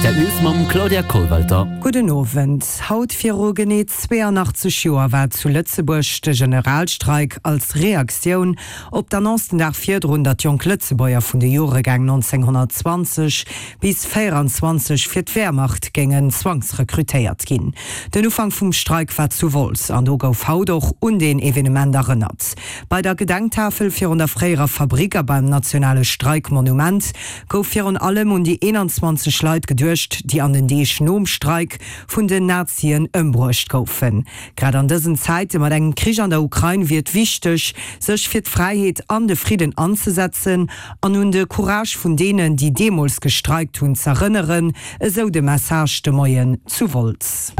Rtl News mam Claudia Kollwelter. Gudden Owend. Haut viru genee 82 Joer war zu Lëtzebuerg de Generalstreik als Reaktioun op d'Annonce den Dag virdrun, datt jonk Lëtzebuerger vun de Joregäng 1920 bis 24 fir d'Wehrmacht géingen zwangsrekrutéiert ginn. Den Ufank vum Streik war zu Wolz an do gouf haut och un deen Evenement erënnert. Bei der Gedenktafel virun der fréierer Fabrik a beim nationale Streikmonument gouf virun allem un déi 21 Leit geduecht, déi an den Deeg nom Streik vun den Nazien ëmbruecht goufen. Grad an dësen Zäite mat engem Krich an der Ukrain wier et wichteg, sech fir d'Fräiheet an de Fridden anzesetzen an un de Courage vun deenen, déi deemools gestreikt hunn, z'erënneren, esou de Message de Moien zu Wolz.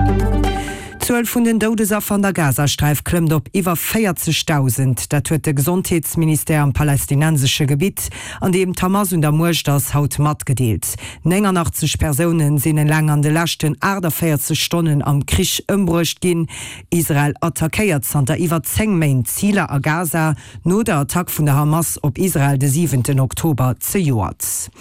D'Zuel vun den Doudesaffer an der Gazasträif klëmmt op iwwer 40.000. Dat huet de Gesondheetsministère am palästinensesche Gebitt, an deem d'Hamas un der Muecht ass, haut matgedeelt. 89 Persoune sinn eleng an de leschten 48 Stonnen am Krich ëmbruecht ginn. Israel attackéiert zanter iwwer 10 Méint Ziler a Gaza, no der Attack vun der Hamas op Israel de siwenten Oktober zejoert.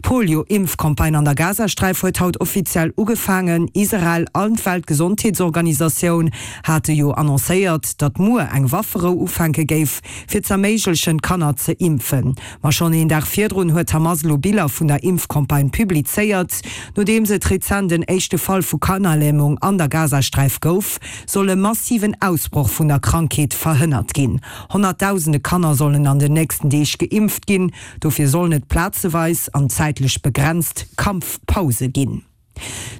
D'Polio-Impfcampagne an der Gazasträif huet haut offiziell ugefaangen. Israel an d'Weltgesondheetsorganisatioun hate jo annoncéiert, datt muer eng Wafferou ufänke géif, fir z'erméiglechen, d'Kanner ze impfen. Ma schonn een Dag virdrun huet d'Hamas elo Biller vun der Impfcampagne publizéiert. Nodeems et rezent en éischte Fall vu Kannerlämung an der Gazasträif gouf, soll e massiven Ausbroch vun der Krankheet verhënnert ginn. Honnertdausende Kanner sollen an den nächsten Deeg geimpft ginn. Dofir sollen et plazeweis an zäitlech begrenzt Kampfpause ginn.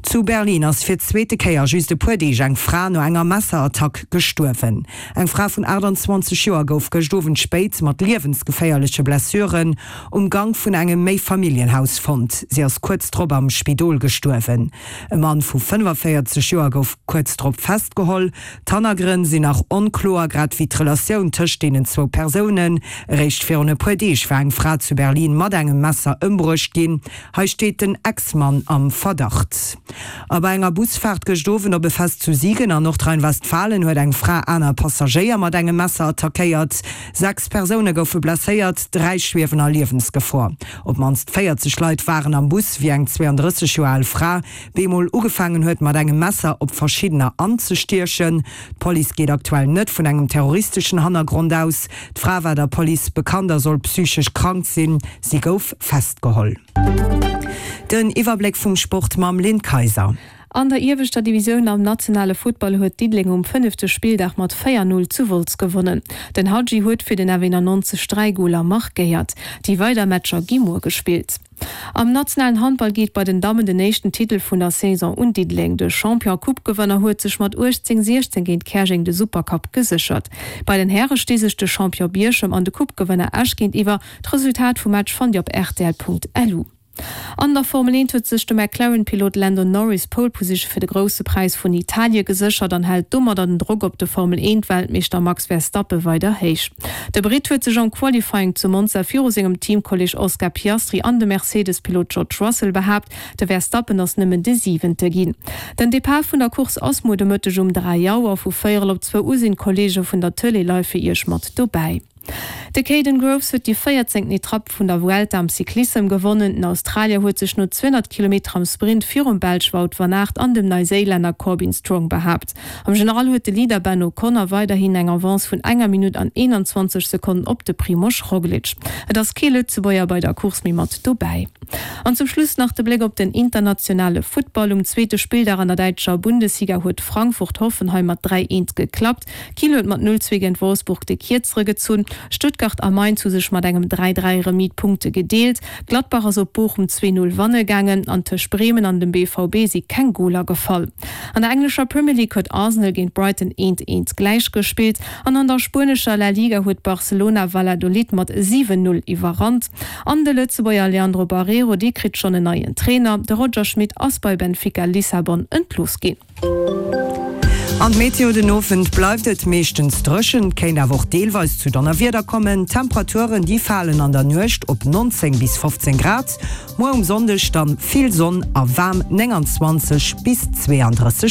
Zu Berlin ass fir d'zweete Kéier just e puer Deeg eng Fra no enger Messerattack gestuerwen. Eng Fra vun 28 Joer gouf gëscht Owend spéit mat liewensgeféierleche Blessuren um Gank vun engem Méifamilljenhaus fonnt. Si ass kuerz drop am Spidol gestuerwen. E Mann vu 45 Joer gouf kuerz drop festgeholl. D'Hannergrënn sinn nach onkloer, grad wéi d'Relatioun tëscht deenen zwou Persounen. Eréischt virun e puer Deeg war eng Fra zu Berlin mat engem Messer ëmbruecht ginn. Hei steet den Ex-Mann am Verdacht. A bei enger Busfaart gëscht Owend op e Fest zu Siegen an Nordrhein-Westfalen huet eng Fra aner Passagéier mat engem Messer attackéiert. 6 Persoune goufe blesséiert, 3 schwiewen a Liewensgefor. Op d'mannst 40 Leit waren am Bus, wéi eng 32 Joer al Fra bemol ugefaangen huet mat engem Messer op verschiddener anzestiechen. D'Police geet aktuell net vun engem terroristeschen Hannergrond aus. D'Fra war der Police bekannt a soll psychesch krank sinn. Si gouf festgeholl. Den Iwwerbléck vum Sport mam Lynn Kayser. An der ieweschter Divisioun am nationale Futtball huet Diddeleng um fënnefte Spilldag mat 4, 0 zu Wolz gewonnen. Den Hadji huet fir den F91 3 Goler markéiert. Déi weider Matcher gi muer gespillt. Am nationalen Handball geet bei den Dammen den éischten Titel vun der Saison un Diddeleng. De Champion a Coupe-Gewënner huet sech mat 18, 16 géint Käerjeng de Supercup geséchert. Bei den Häre sti sech de Champion Bierchem an de Coupe-Gewënner Esch géintiwwer. D'Resultat vum Match fannt Dir op rtl.lu. An der Formel 1 huet sech de McLaren-Pilot Lando Norris d'Pole Position fir de Grousse Präis vun Italie geséchert an hält domadder den Drock op de Formel 1 Weltmeeschter Max Verstappen weider héich. De Britt huet sech am Qualifying zu Monza viru sengem Teamkolleeg Oscar Piastri an dem Mercedes-Pilot George Russell behaapt. De Verstappen ass nëmmen de Siwente ginn. Den Depart vun der Course ass muer de Mëtteg um 3 Auer. Vu véierel op zwou u sinn d'Kolleege vun der Tëlee live fir Iech mat dobäi. De Kaden Groves huet déi véierzéngten Etapp vun der Vuelta am Cyclissem gewonnen. Den Australier huet sech no 200 Kilometer am Sprint virum Belsch Wout van Aert an dem Neiséilänner Corbin Strong behaapt. Am General huet de Leader Ben O'Connor weiderhin eng Avance vun enger Minutt an 21 Sekonnen op de Primož Roglič. Et ass kee Lëtzebuerger bei der Course méi mat dobäi. An zum Schluss nach de Bléck op den internationale Futtball. Um zweete Spilldag an der däitscher Bundesliga huet Frankfurt Hoffenheim mat 3, 1 geklappt. Kiel huet mat 0, 2 géint Wolfsburg de Kierzere gezunn. Stuttgart a Mainz hu sech mat engem 3, 3 Remis d'Punkte gedeelt. Gladbach ass op Bochum 2, 0 wanne gaangen an tëscht Bremen an dem BVB si keng Goler gefall. An der englescher Premier League huet Arsenal géint Brighton 1, 1 gläich gespillt an an der spuenescher La Liga huet Barcelona Valladolid mat 7, 0 iwwerrannt. An de Lëtzebuerger Leandro Barreiro, dee kritt schonn en neien Trainer. De Roger Schmit ass bei Benfica Lissabon entlooss ginn. An d'Meteo, Den Owend bleift et meeschtens dréchen, et kéint awer och deelweis zu Donnerwieder kommen. D'Temperaturen déi falen an der Nuecht op 19 bis 15 Grad, muer um Sonndeg dann vill Sonn a waarm 29 bis 32.